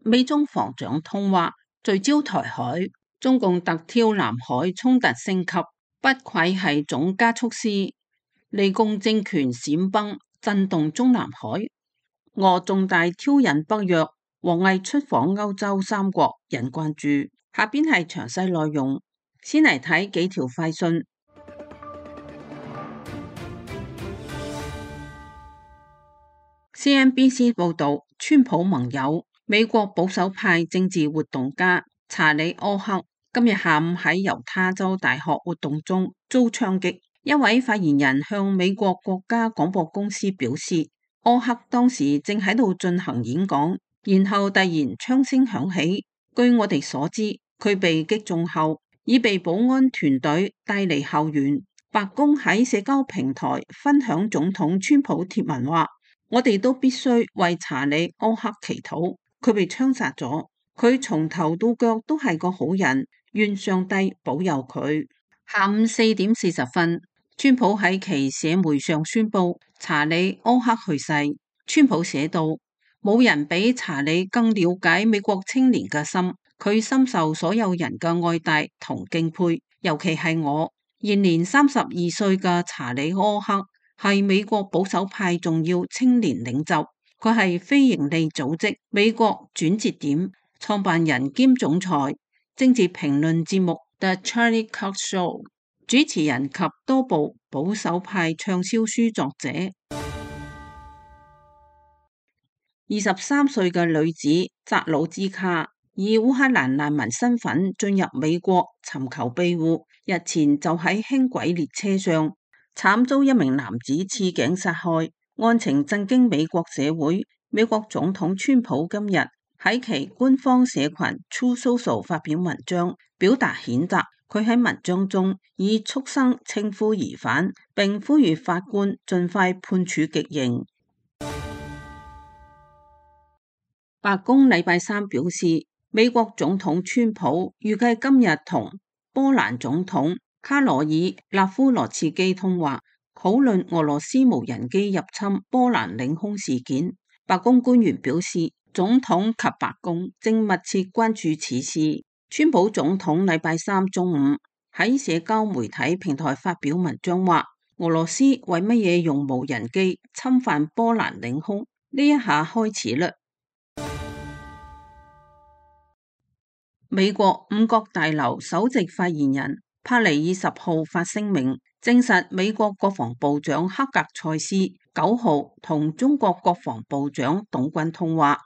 美中防長通話聚焦台海，中共突挑南海衝突升級，不愧係總加速師，利共政權閃崩，震動中南海。俄重大挑釁北約，王毅出訪歐洲三國，引關注。下邊係詳細內容，先嚟睇幾條快訊。CNBC 報道，川普盟友美國保守派政治活動家查理·柯克今日下午喺猶他州大學活動中遭槍擊。一位發言人向美國國家廣播公司表示，柯克當時正喺度進行演講，然後突然槍聲響起。據我哋所知，佢被擊中後已被保安團隊帶離校園。白宮喺社交平台分享總統川普貼文話，我哋都必須為查理·柯克祈禱，佢被槍殺咗，佢從頭到腳都係個好人，願上帝保佑佢。下午4點40分，川普喺其社媒上宣布查理·柯克去世。川普寫道，冇人比查理更了解美國青年嘅心，佢深受所有人嘅愛戴同敬佩，尤其係我。現年32歲嘅查理·柯克係美國保守派重要青年領袖，佢係非營利組織美國轉折點創辦人兼總裁，政治評論節目 The Charlie Cox Show 主持人及多部保守派暢銷書作者。23歲嘅女子扎魯茲卡以烏克蘭難民身份進入美國尋求庇護，日前就喺輕軌列車上慘遭一名男子刺頸殺害，案情震驚美國社會。美國總統川普今日喺其官方社群 Truth Social 發表文章，表達譴責。佢喺文章中以畜生稱呼疑犯，並呼籲法官盡快判處極刑。白宮禮拜三表示，美國總統川普預計今日同波蘭總統卡羅爾納夫羅茨基通話，討論俄羅斯無人機入侵波蘭領空事件。白宮官員表示，總統及白宮正密切關注此事。川普總統禮拜三中午喺社交媒體平台發表文章話，俄羅斯為乜嘢用無人機侵犯波蘭領空？呢一下開始啦。美國五角大樓首席發言人帕尼爾10號發聲明，證實美國國防部長克格塞斯9號同中國國防部長董軍通話。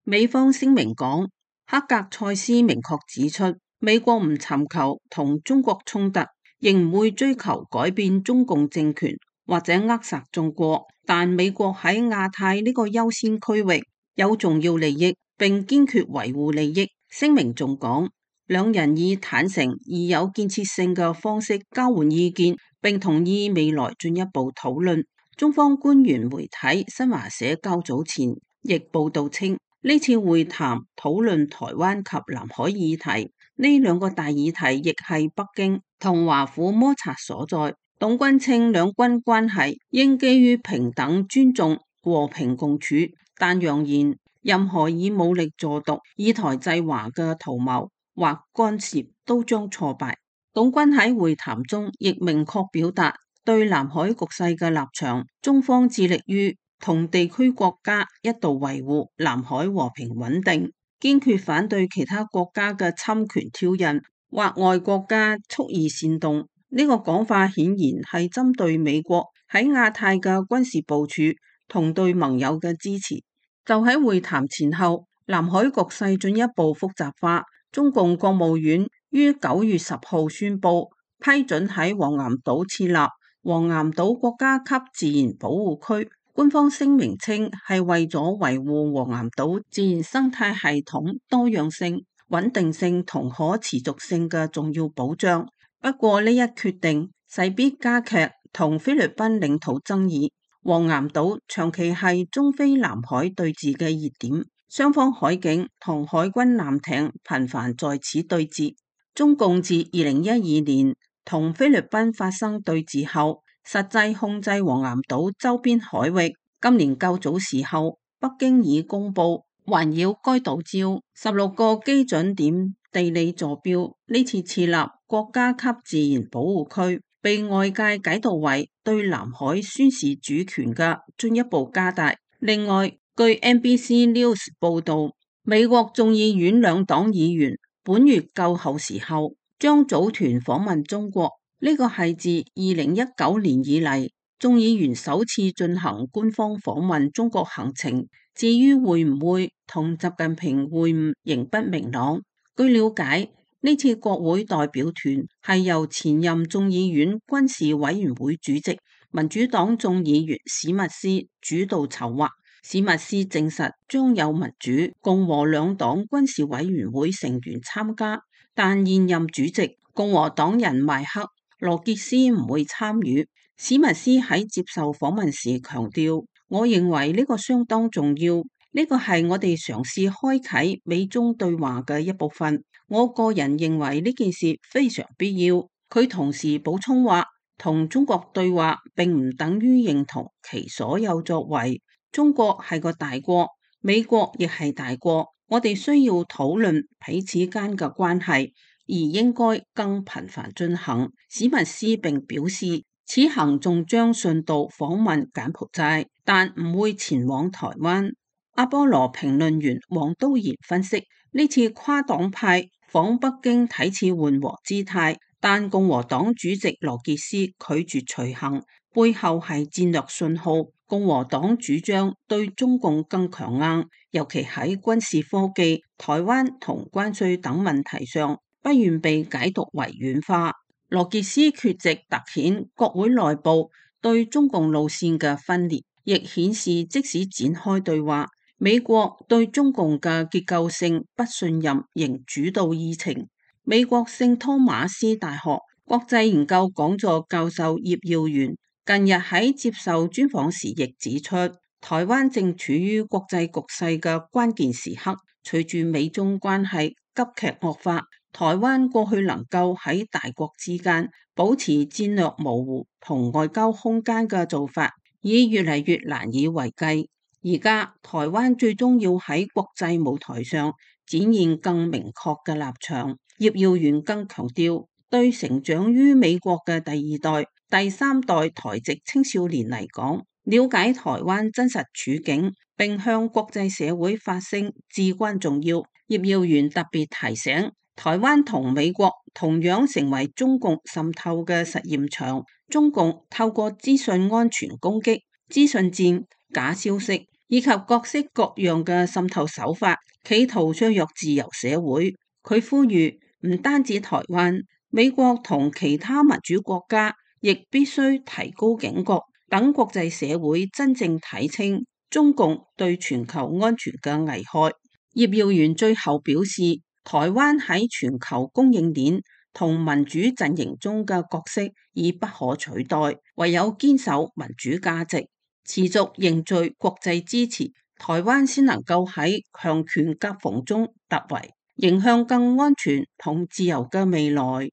美方聲明講，克格塞斯明確指出，美國唔尋求同中國衝突，亦唔會追求改變中共政權或者扼殺中國，但美國喺亞太呢個優先區域有重要利益，並堅決維護利益。聲明仲講，兩人以坦誠而有建設性嘅方式交換意見，並同意未來進一步討論。中方官員媒體新華社較早前亦報道稱，呢次會談討論台灣及南海議題，呢兩個大議題亦係北京同華府摩擦所在。董軍稱兩軍關係應基於平等尊重、和平共處，但揚言任何以武力助獨、以台制華嘅圖謀或干涉都將挫敗。董軍喺會談中亦明確表達對南海局勢嘅立場，中方致力於同地區國家一道維護南海和平穩定，堅決反對其他國家嘅侵權挑釁或外國家蓄意煽動。呢個講法顯然係針對美國喺亞太嘅軍事部署同對盟友嘅支持。就喺會談前後，南海局勢進一步複雜化。中共國務院於9月10號宣布批准喺黃岩島設立黃岩島國家級自然保護區。官方聲明稱係為咗維護黃岩島自然生態系統多樣性、穩定性同可持續性嘅重要保障。不過呢一決定勢必加劇同菲律賓領土爭議。黃岩島長期係中菲南海對峙嘅熱點，雙方海警同海軍艦艇頻繁在此對峙。中共自2012年同菲律賓發生對峙後，實際控制黃岩島周邊海域。今年較早時候，北京已公布環繞該島礁16個基準點地理坐標，呢次設立國家級自然保護區，被外界解讀為對南海宣示主權嘅進一步加大。另外，據 NBC News 報道，美國眾議院兩黨議員本月較後時候將組團訪問中國，呢個係自2019年以嚟眾議員首次進行官方訪問中國行程。至於會唔會同習近平會晤，仍不明朗。據了解，呢次國會代表團係由前任眾議院軍事委員會主席、民主黨眾議員史密斯主導籌劃。史密斯證實將有民主、共和兩黨軍事委員會成員參加，但現任主席共和黨人邁克羅傑斯唔會參與。史密斯喺接受訪問時強調，我認為呢個相當重要，呢個係我哋嘗試開啟美中對話嘅一部分。我個人認為呢件事非常必要。佢同時補充話，同中國對話並唔等於認同其所有作為。中國係個大國，美國亦係大國，我哋需要討論彼此間嘅關係，而應該更頻繁進行。史密斯並表示，此行仲將順道訪問柬埔寨，但唔會前往台灣。阿波羅評論員黃都賢分析，呢次跨黨派訪北京睇似緩和姿態，但共和黨主席羅傑斯拒絕隨行，背後係戰略信號。共和黨主張對中共更強硬，尤其喺軍事科技、台灣同關稅等問題上，不願被解讀為軟化。羅傑斯缺席凸顯國會內部對中共路線嘅分裂，亦顯示即使展開對話，美國對中共嘅結構性不信任仍主導議程。美國聖托馬斯大學國際研究講座教授葉耀元近日喺接受專訪時亦指出，台灣正處於國際局勢嘅關鍵時刻，隨住美中關係急劇惡化，台灣過去能夠喺大國之間保持戰略模糊同外交空間嘅做法，已越嚟越難以為繼。而家台灣最終要喺國際舞台上展現更明確嘅立場。葉耀元更強調，對成長於美國嘅第二代、第三代台籍青少年嚟講，了解台灣真實處境並向國際社會發聲至關重要。葉耀元特別提醒，台灣同美國同樣成為中共滲透嘅實驗場。中共透過資訊安全攻擊、資訊戰、假消息以及各式各樣嘅滲透手法，企圖削弱自由社會。佢呼籲唔單止台灣，美國同其他民主國家亦必須提高警覺，等國際社會真正睇清中共對全球安全嘅危害。葉耀元最後表示，台灣喺全球供應鏈同民主陣營中嘅角色已不可取代，唯有堅守民主價值，持續凝聚國際支持，台灣先能夠喺強權夾縫中突圍，迎向更安全同自由嘅未來。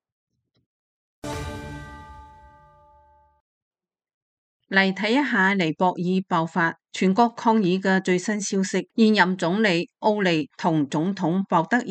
嚟睇一下尼泊爾爆發全國抗議嘅最新消息，現任總理奧利同總統鮑德爾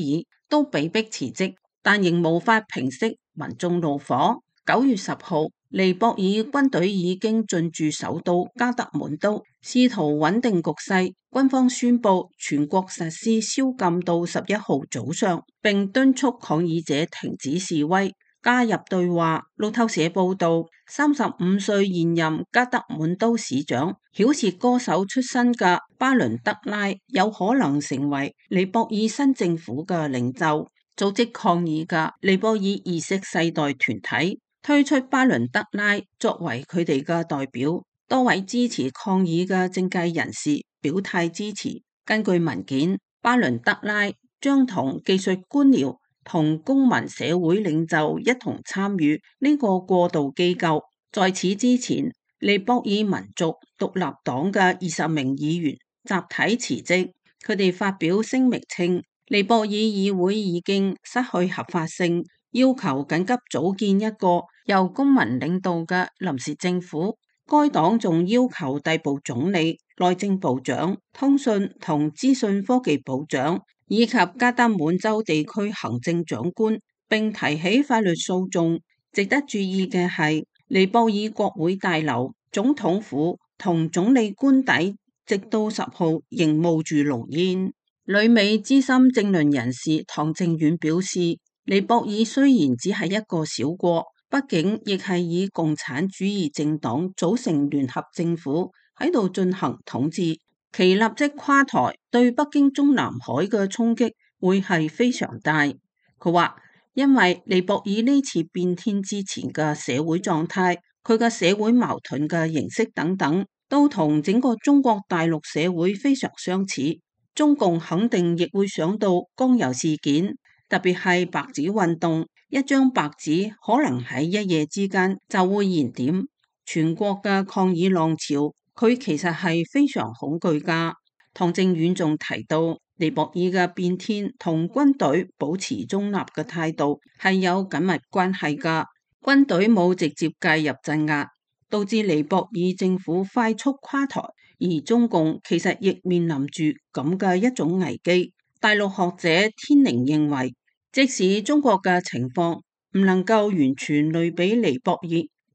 都被迫辭職，但仍無法平息民眾怒火。9月10號，尼泊爾軍隊已經進駐首都加德滿都，試圖穩定局勢。軍方宣布全國實施宵禁到11號早上，並敦促抗議者停止示威，加入對話。路透社報道，35歲現任加德滿都市長、饒舌歌手出身嘅巴倫德拉有可能成為尼泊爾新政府嘅領袖。組織抗議嘅尼泊爾意識世代團體推出巴倫德拉作為佢哋嘅代表，多位支持抗議嘅政界人士表態支持。根據文件，巴倫德拉將同技術官僚同公民社會領袖一同參與呢個過渡機構。在此之前，尼泊爾民族獨立黨嘅20名議員集體辭職，佢哋發表聲明稱，尼泊爾議會已經失去合法性，要求緊急組建一個由公民領導嘅臨時政府。該黨仲要求逮捕總理內政部長、通訊同資訊科技部長以及加德滿州地區行政長官，並提起法律訴訟。值得注意嘅係，尼泊爾國會大樓、總統府同總理官邸，直到10號仍冒住濃煙。旅美資深政論人士唐正遠表示，尼泊爾雖然只係一個小國，畢竟亦係以共產主義政黨組成聯合政府喺度進行統治，其立即垮台對北京中南海嘅衝擊會係非常大。佢話，因為尼泊爾呢次變天之前嘅社會狀態，佢嘅社會矛盾嘅形式等等，都同整個中國大陸社會非常相似。中共肯定亦會想到江油事件，特別係白紙運動，一張白紙可能喺一夜之間就會燃點全國嘅抗議浪潮，佢其實係非常恐懼㗎。唐正遠仲提到，尼泊爾嘅變天同軍隊保持中立嘅態度係有緊密關係㗎。軍隊冇直接介入鎮壓，導致尼泊爾政府快速垮台，而中共其實亦面臨住咁嘅一種危機。大陸學者天寧認為，即使中國嘅情況唔能夠完全類比尼泊爾，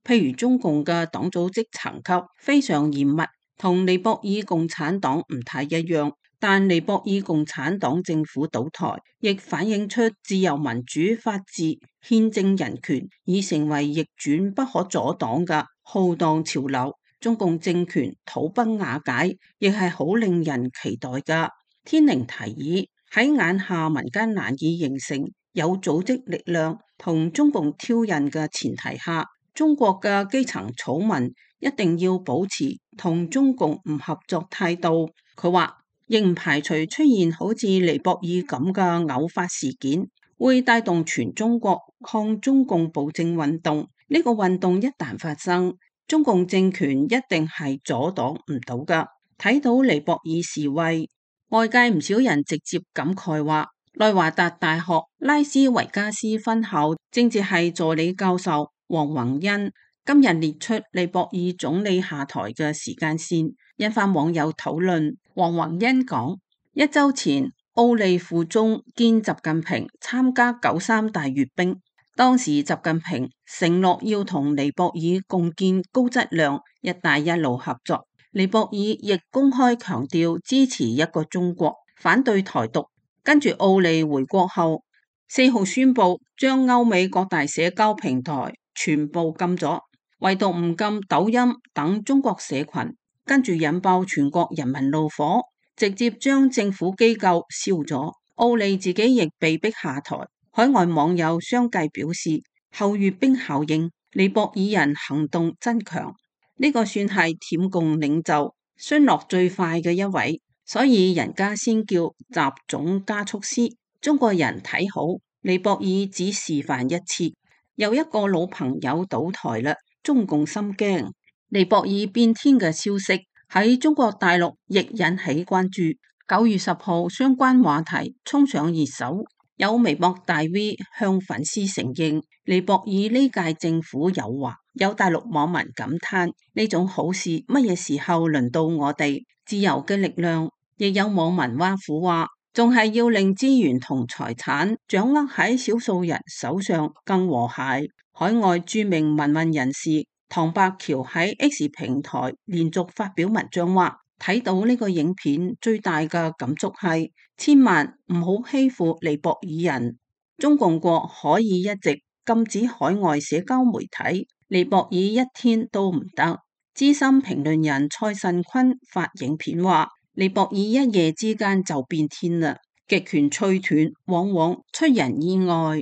譬如中共嘅黨組織層級非常嚴密，同尼泊爾共產黨唔太一樣，但尼泊爾共產黨政府倒台，亦反映出自由民主法治、憲政人權已成為逆轉不可阻擋嘅浩蕩潮流。中共政權土崩瓦解，亦係好令人期待㗎。天寧提議喺眼下民間難以形成有組織力量同中共挑釁嘅前提下，中國嘅基層草民一定要保持同中共唔合作態度。佢話，亦唔排除出現好似尼泊爾咁嘅偶發事件，會帶動全中國抗中共暴政運動。呢個運動一旦發生，中共政權一定係阻擋唔到㗎。睇到尼泊爾示威，外界唔少人直接感慨話，內華達大學拉斯維加斯分校政治系助理教授黃宏恩今日列出尼泊爾總理下台嘅時間線，引發網友討論。黃宏恩講，一周前奧利赴中見習近平參加93大閱兵，當時習近平承諾要同尼泊爾共建高質量一帶一路合作，尼泊爾亦公開強調支持一個中國，反對台獨。跟住奧利回國後，4號宣布將歐美各大社交平台全部禁咗，唯獨唔禁抖音等中國社群，跟住引爆全國人民怒火，直接將政府機構燒咗。奧利自己亦被逼下台。海外網友相繼表示，後閱兵效應，尼泊爾人行動增強，呢個算係舔共領袖孫落最快嘅一位，所以人家先叫習總加速師。中國人睇好尼泊爾，只示範一次，又一個老朋友倒台啦，中共心驚。尼泊爾變天嘅消息喺中國大陸亦引起關注。9月10號，相關話題衝上熱搜，有微博大 V 向粉絲承認尼泊爾呢屆政府有話，有大陸網民感嘆呢種好事乜嘢時候輪到我哋？自由嘅力量。亦有網民挖苦話，仲係要令資源同財產掌握喺少數人手上更和諧。海外著名民運人士唐伯橋喺 X 平台連續發表文章話，睇到呢個影片最大嘅感觸係，千萬唔好欺負尼泊爾人。中共國可以一直禁止海外社交媒體，尼泊爾一天都唔得。資深評論人蔡慎坤發影片話，尼泊爾一夜之間就變天啦，極權脆斷往往出人意外。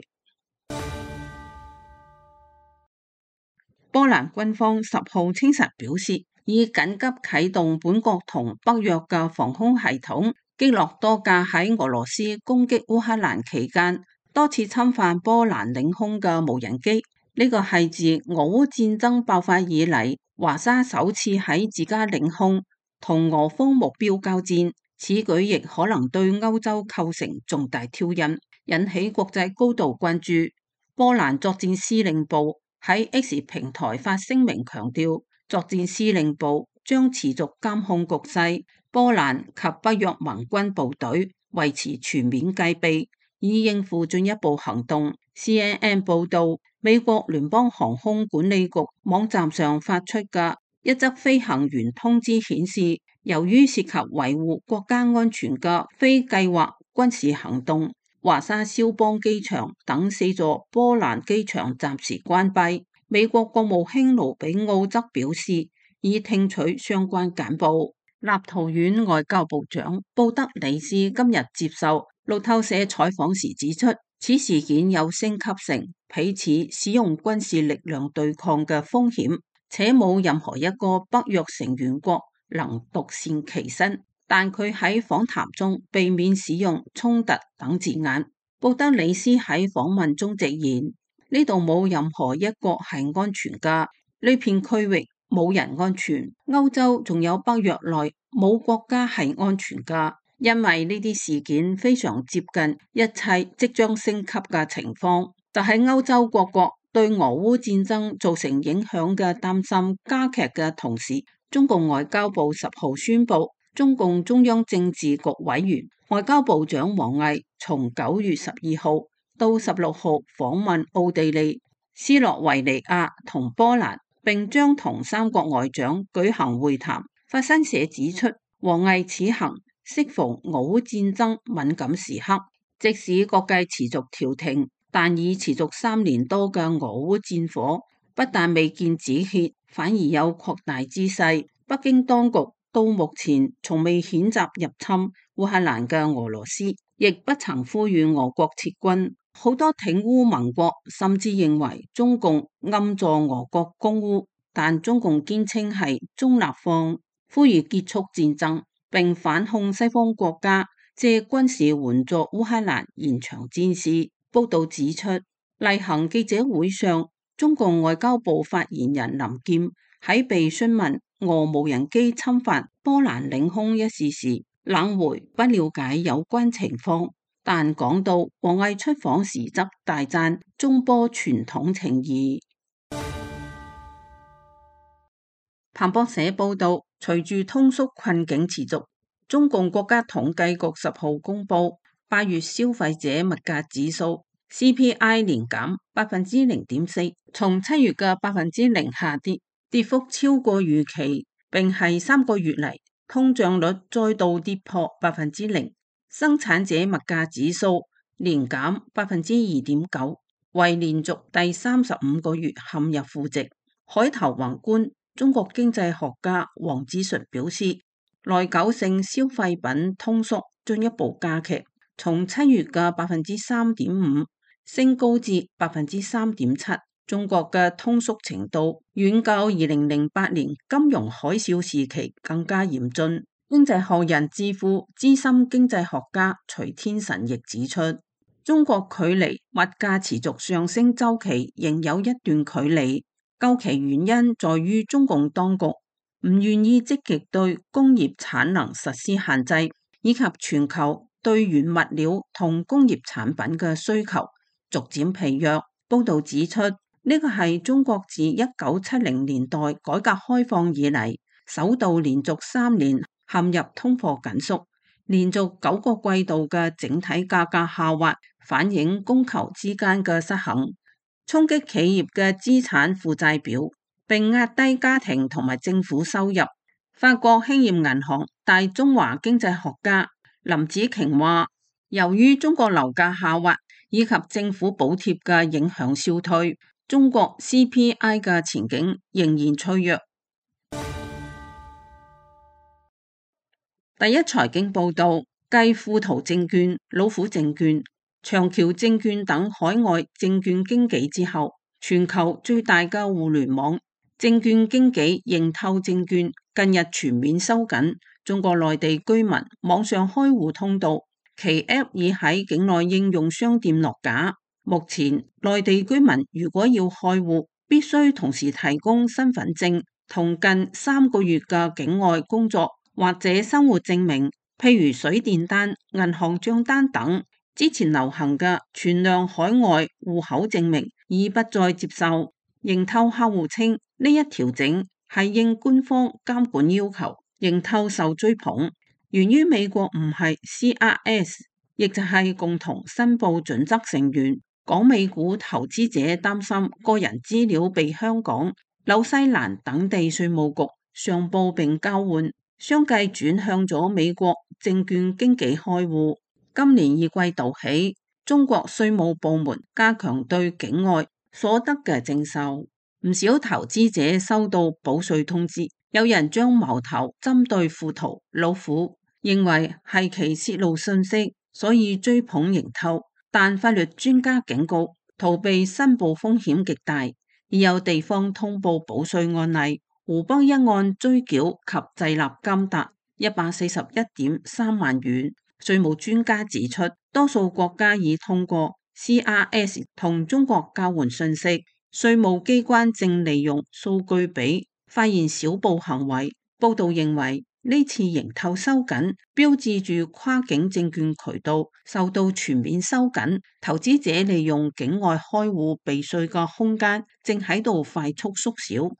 波蘭軍方10號清晨表示，已緊急啟動本國同北約嘅防空系統，擊落多架喺俄羅斯攻擊烏克蘭期間多次侵犯波蘭領空嘅無人機。呢個係自俄烏戰爭爆發以嚟，華沙首次喺自家領空同俄方目標交戰，此舉亦可能對歐洲構成重大挑釁，引起國際高度關注。波蘭作戰司令部喺 X 平台發聲明強調，作戰司令部將持續監控局勢，波蘭及北約盟軍部隊維持全面戒備，以應付進一步行動。CNN 報導，美國聯邦航空管理局網站上發出嘅一則飛行員通知顯示，由於涉及維護國家安全嘅非計劃軍事行動，華沙肖邦機場等4座波蘭機場暫時關閉。美國國務卿盧比奧則表示，已聽取相關簡報。立陶宛外交部長布德里斯今日接受路透社採訪時指出，此事件有升級成彼此使用軍事力量對抗嘅風險，且冇任何一個北約成員國能獨善其身。但佢喺訪談中避免使用衝突等字眼。布德里斯喺訪問中直言，呢度冇任何一國係安全㗎，呢片區域冇人安全，歐洲仲有北約內冇國家係安全㗎，因為呢啲事件非常接近一切即將升級嘅情況。就喺歐洲各國對俄烏戰爭造成影響嘅擔心加劇嘅同時，中共外交部10號宣布，中共中央政治局委員外交部長王毅從9月12號到16號訪問奧地利、斯洛維尼亞同波蘭，並將同3國外長舉行會談。法新社指出，王毅此行適逢俄烏戰爭敏感時刻，即使各界持續調停，但已持續3年多嘅俄烏戰火不但未見止歇，反而有擴大之勢。北京當局到目前從未譴責入侵烏克蘭嘅俄羅斯，亦不曾呼籲俄國撤軍。好多挺烏盟國甚至認為中共暗助俄國攻烏，但中共堅稱係中立方，呼籲結束戰爭，並反控西方國家借軍事援助烏克蘭延長戰事。報道指出，例行記者會上，中共外交部發言人林劍喺被詢問俄無人機侵犯波蘭領空一事時，冷回不了解有關情況，但講到王毅出訪時則大讚中波傳統情誼。彭博社報道，隨住通縮困境持續，中共國家統計局10號公布8月消費者物價指數 CPI 年減0.4%，從7月嘅0%下跌，跌幅超過預期，並係3個月嚟通脹率再度跌破0%。生產者物價指數年減2.9%，為連續第35個月陷入負值。海頭宏觀中國經濟學家王志純表示，耐久性消費品通縮進一步加劇，從7月嘅3.5%升高至3.7%。中國嘅通縮程度遠較2008年金融海嘯時期更加嚴峻。經濟學人智庫資深經濟學家徐天臣亦指出，中國距離物價持續上升週期仍有一段距離。究其原因在於中共當局唔願意積極對工業產能實施限制，以及全球對原物料同工業產品嘅需求逐漸疲弱。報道指出，呢個係中國自1970年代改革開放以嚟首度連續3年陷入通貨緊縮，連續9個季度嘅整體價格下滑，反映供求之間嘅失衡，衝擊企業嘅資產負債表，並壓低家庭同埋政府收入。法國興業銀行大中華經濟學家林子瓊話，由於中國樓價下滑以及政府補貼嘅影響消退，中國 CPI 嘅前景仍然脆弱。第一財經報道，繼富途證券、老虎證券、長橋證券等海外證券經紀之後，全球最大嘅互聯網證券經紀盈透證券近日全面收緊中國內地居民網上開戶通道，其 App 已喺境內應用商店落架。目前內地居民如果要開戶，必須同時提供身份證同近3個月嘅境外工作或者生活證明，譬如水電單、銀行賬單等。之前流行嘅全量海外戶口證明已不再接受。盈透客戶稱呢一調整係應官方監管要求，認透受追捧。源於美國唔係 CRS， 亦就係共同申報準則成員，港美股投資者擔心個人資料被香港、紐西蘭等地稅務局上報並交換，相繼轉向咗美國證券經紀開戶。今年二季度起，中國稅務部門加強對境外所得嘅徵收，唔少投資者收到補稅通知，有人將矛頭針對富途、老虎，認為係其泄露信息，所以追捧認透。但法律專家警告，逃避申報風險極大。已有地方通報補稅案例，湖北一案追繳及滯納金達141.3萬元。稅務專家指出，多數國家已通過 CRS 同中國交換信息，稅務機關正利用數據比發現小報行為。報道認為，呢次認透收緊，標誌住跨境證券渠道受到全面收緊，投資者利用境外開戶避稅嘅空間正喺度快速縮小。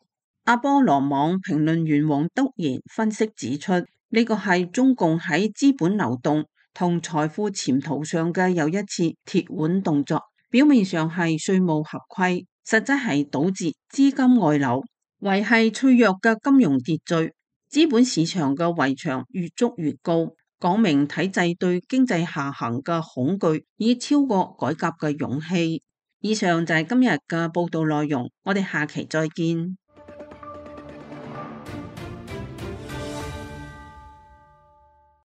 阿波羅網評論員黃德賢分析指出，呢個係中共喺資本流動同財富潛逃上嘅又一次鐵腕動作，表面上係稅務合規，實質係堵截資金外流，維繫脆弱嘅金融秩序。資本市場嘅圍牆越築越高，講明體制對經濟下行嘅恐懼已超過改革嘅勇氣。以上就係今日嘅報道內容，我哋下期再見。